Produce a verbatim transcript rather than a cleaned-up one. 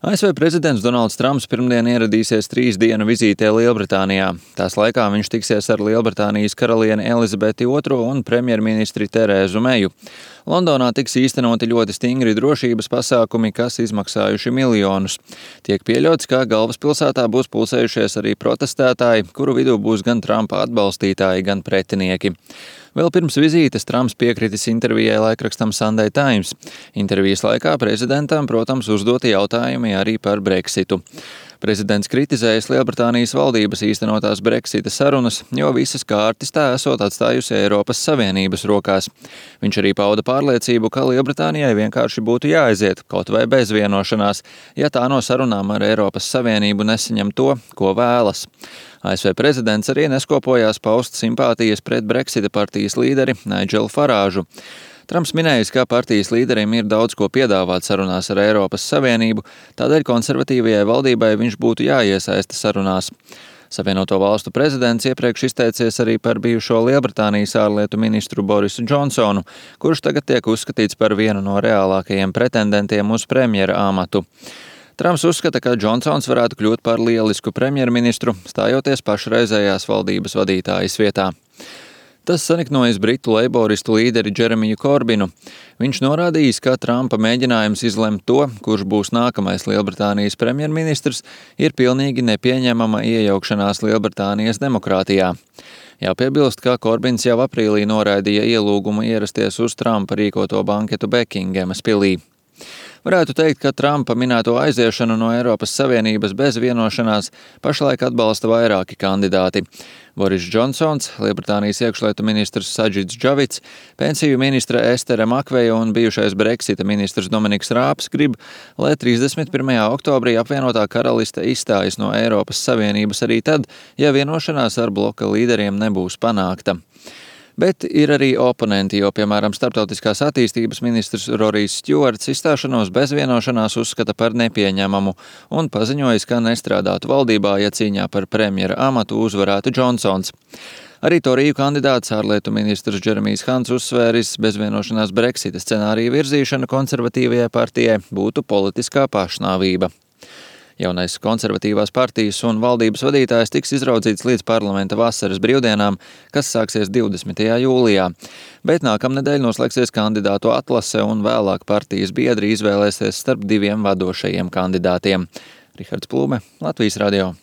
A S V prezidents Donalds Trumps pirmdien ieradīsies trīs dienu vizītē Lielbritānijā. Tās laikā viņš tiksies ar Lielbritānijas karalieni Elizabeti otro un premjerministri Terēzu Meju. Londonā tiks īstenoti ļoti stingri drošības pasākumi, kas izmaksājuši miljonus. Tiek pieļauts, ka galvaspilsētā būs pulsējušies arī protestētāji, kuru vidū būs gan Trumpa atbalstītāji, gan pretinieki. Vēl pirms vizītes Trumps piekritis intervijai laikrakstam Sunday Times. Intervijas laikā prezidentam, protams, uzdoti jautājumi arī par Brexitu. Prezidents kritizējas Lielbritānijas valdības īstenotās Brexita sarunas, jo visas kārtas tā esot atstājusi Eiropas Savienības rokās. Viņš arī pauda pārliecību, ka Lielbritānijai vienkārši būtu jāaiziet, kaut vai bez vienošanās, ja tā no sarunām ar Eiropas Savienību nesaņem to, ko vēlas. A S V prezidents arī neskopojās paust simpātijas pret Brexita partijas līderi Nigelu Farāžu. Trumps minējis, ka partijas līderim ir daudz ko piedāvāt sarunās ar Eiropas Savienību, tādēļ konservatīvajai valdībai viņš būtu jāiesaista sarunās. Savienoto valstu prezidents iepriekš izteicies arī par bijušo Lielbritānijas ārlietu ministru Borisu Džonsonu, kurš tagad tiek uzskatīts par vienu no reālākajiem pretendentiem uz premjera amatu. Trumps uzskata, ka Džonsons varētu kļūt par lielisku premjerministru, stājoties pašreizējās valdības vadītājas vietā. Tas saniknojas britu leiboristu līderi Džeremiju Korbinu. Viņš norādījis, ka Trumpa mēģinājums izlemt to, kurš būs nākamais Lielbritānijas premjerministrs, ir pilnīgi nepieņemama iejaukšanās Lielbritānijas demokrātijā. Jāpiebilst, ka Korbins jau aprīlī noraidīja ielūgumu ierasties uz Trumpa rīkoto banketu Bekingemas pilī. Varētu teikt, ka Trumpa minēto aiziešanu no Eiropas Savienības bez vienošanās pašlaik atbalsta vairāki kandidāti. Boris Džonsons, Lielbritānijas iekšlietu ministrs Sadžids Džavits, pensiju ministre Estere Makveja un bijušais Brexita ministrs Dominiks Rāps grib, lai trīsdesmit pirmajā oktobrī apvienotā karaliste izstājas no Eiropas Savienības arī tad, ja vienošanās ar bloka līderiem nebūs panākta. Bet ir arī oponenti, jo, piemēram, starptautiskās attīstības ministrs Rorijs Stjuarts izstāšanos bez vienošanās uzskata par nepieņemamu un paziņojis, ka nestrādātu valdībā, ja cīņā par premjera amatu uzvarētu Džonsons. Arī Toriju kandidāts ārlietu ministrs Džeremijs Hants uzsvēris, bez vienošanās Brexita scenārija virzīšana konservatīvajai partijai būtu politiskā pašnāvība. Jaunais konservatīvās partijas un valdības vadītājs tiks izraudzīts līdz parlamenta vasaras brīvdienām, kas sāksies divdesmitajā jūlijā. Bet nākamnedēļ noslēgsies kandidātu atlase un vēlāk partijas biedri izvēlēsies starp diviem vadošajiem kandidātiem. Rihards Plūme, Latvijas radio.